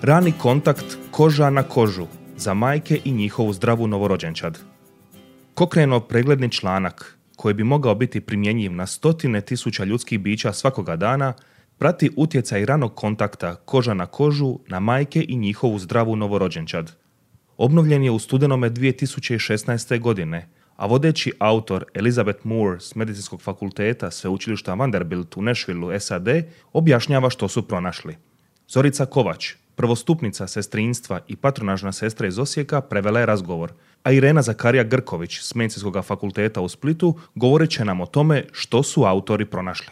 Rani kontakt koža na kožu za majke i njihovu zdravu novorođenčad. Cochraneov pregledni članak, koji bi mogao biti primjenjiv na stotine tisuća ljudskih bića svakoga dana, prati utjecaj ranog kontakta koža na kožu na majke i njihovu zdravu novorođenčad. Obnovljen je u studenome 2016. godine, a vodeći autor Elizabeth Moore s Medicinskog fakulteta Sveučilišta Vanderbilt u Nashvilleu, SAD, objašnjava što su pronašli. Zorica Kovač, prvostupnica sestrinstva i patronažna sestra iz Osijeka, prevela je razgovor, a Irena Zakarija Grković s Medicinskog fakulteta u Splitu govorit će nam o tome što su autori pronašli.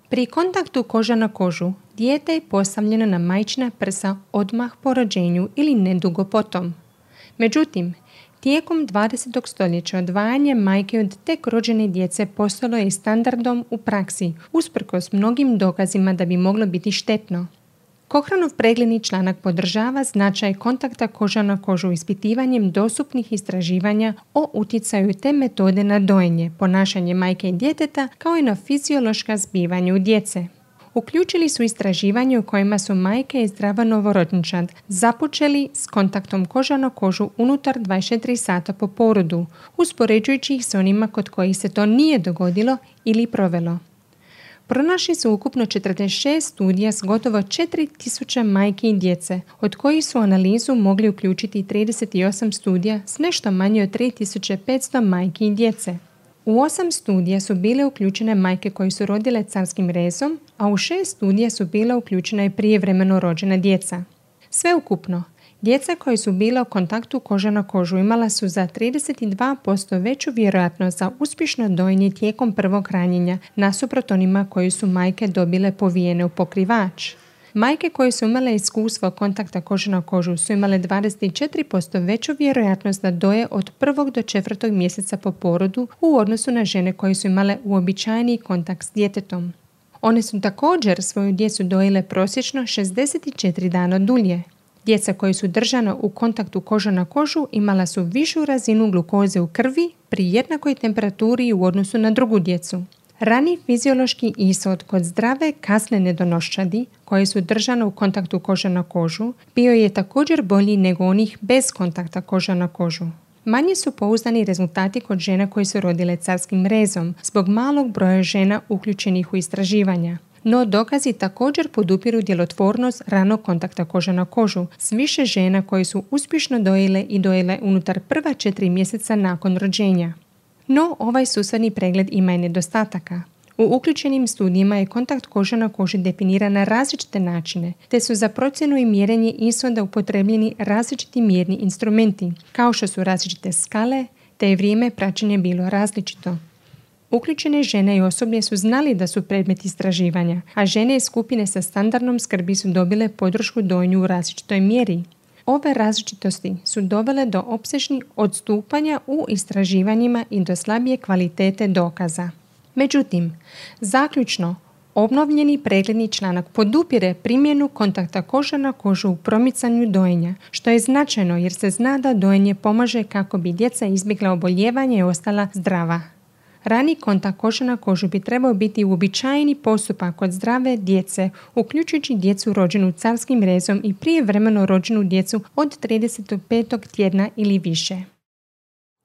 Pri kontaktu koža na kožu, dijete je postavljeno na majčina prsa odmah po rođenju ili nedugo potom. Međutim, tijekom 20. stoljeća odvajanje majke od tek rođene djece postalo je standardom u praksi, usprkos mnogim dokazima da bi moglo biti štetno. Cochraneov pregledni članak podržava značaj kontakta koža na kožu ispitivanjem dostupnih istraživanja o utjecaju te metode na dojenje, ponašanje majke i djeteta, kao i na fiziološka zbivanja u djece. Uključili su istraživanje u kojima su majke i zdrava novorođenčad započeli s kontaktom koža na kožu unutar 24 sata po porodu, uspoređujući ih s onima kod kojih se to nije dogodilo ili provelo. Pronašli su ukupno 46 studija s gotovo 4000 majki i djece, od kojih su u analizu mogli uključiti 38 studija s nešto manje od 3500 majki i djece. U 8 studija su bile uključene majke koje su rodile carskim rezom, a u 6 studija su bila uključena i prijevremeno rođena djeca. Sveukupno, djeca koje su bila u kontaktu koža na kožu imala su za 32% veću vjerojatnost za uspješno dojenje tijekom prvog hranjenja nasuprot onima koji su majke dobile povijene u pokrivač. Majke koje su imale iskustvo kontakta koža na kožu su imale 24% veću vjerojatnost da doje od 1. do 4. mjeseca po porodu u odnosu na žene koje su imale uobičajeni kontakt s djetetom. One su također svoju djecu dojile prosječno 64 dana dulje. Djeca koja su držana u kontaktu koža na kožu imala su višu razinu glukoze u krvi pri jednakoj temperaturi u odnosu na drugu djecu. Rani fiziološki ishod kod zdrave kasne nedonoščadi koje su držane u kontaktu koža na kožu bio je također bolji nego onih bez kontakta koža na kožu. Manje su pouzdani rezultati kod žena koje su rodile carskim rezom zbog malog broja žena uključenih u istraživanja. No dokazi također podupiru djelotvornost ranog kontakta koža na kožu s više žena koje su uspješno dojile i dojile unutar prva 4 mjeseca nakon rođenja. No, ovaj susadni pregled ima i nedostataka. U uključenim studijima je kontakt koža na koži definiran na različite načine, te su za procjenu i mjerenje ishoda upotrebljeni različiti mjerni instrumenti, kao što su različite skale, te je vrijeme praćenja bilo različito. Uključene žene i osoblje su znali da su predmet istraživanja, a žene iz skupine sa standardnom skrbi su dobile podršku dojenju u različitoj mjeri. Ove različitosti su dovele do opsežnih odstupanja u istraživanjima i do slabije kvalitete dokaza. Međutim, zaključno, obnovljeni pregledni članak podupire primjenu kontakta koža na kožu u promicanju dojenja, što je značajno jer se zna da dojenje pomaže kako bi djeca izbjegla oboljevanje i ostala zdrava. Rani kontakt koža na kožu bi trebao biti uobičajeni postupak kod zdrave djece, uključujući djecu rođenu carskim rezom i prijevremeno rođenu djecu od 35. tjedna ili više.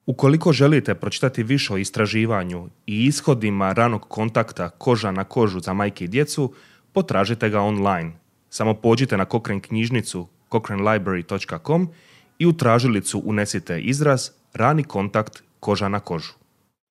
Ukoliko želite pročitati više o istraživanju i ishodima ranog kontakta koža na kožu za majke i djecu, potražite ga online. Samo pođite na Cochrane knjižnicu cochranelibrary.com i u tražilicu unesite izraz rani kontakt koža na kožu.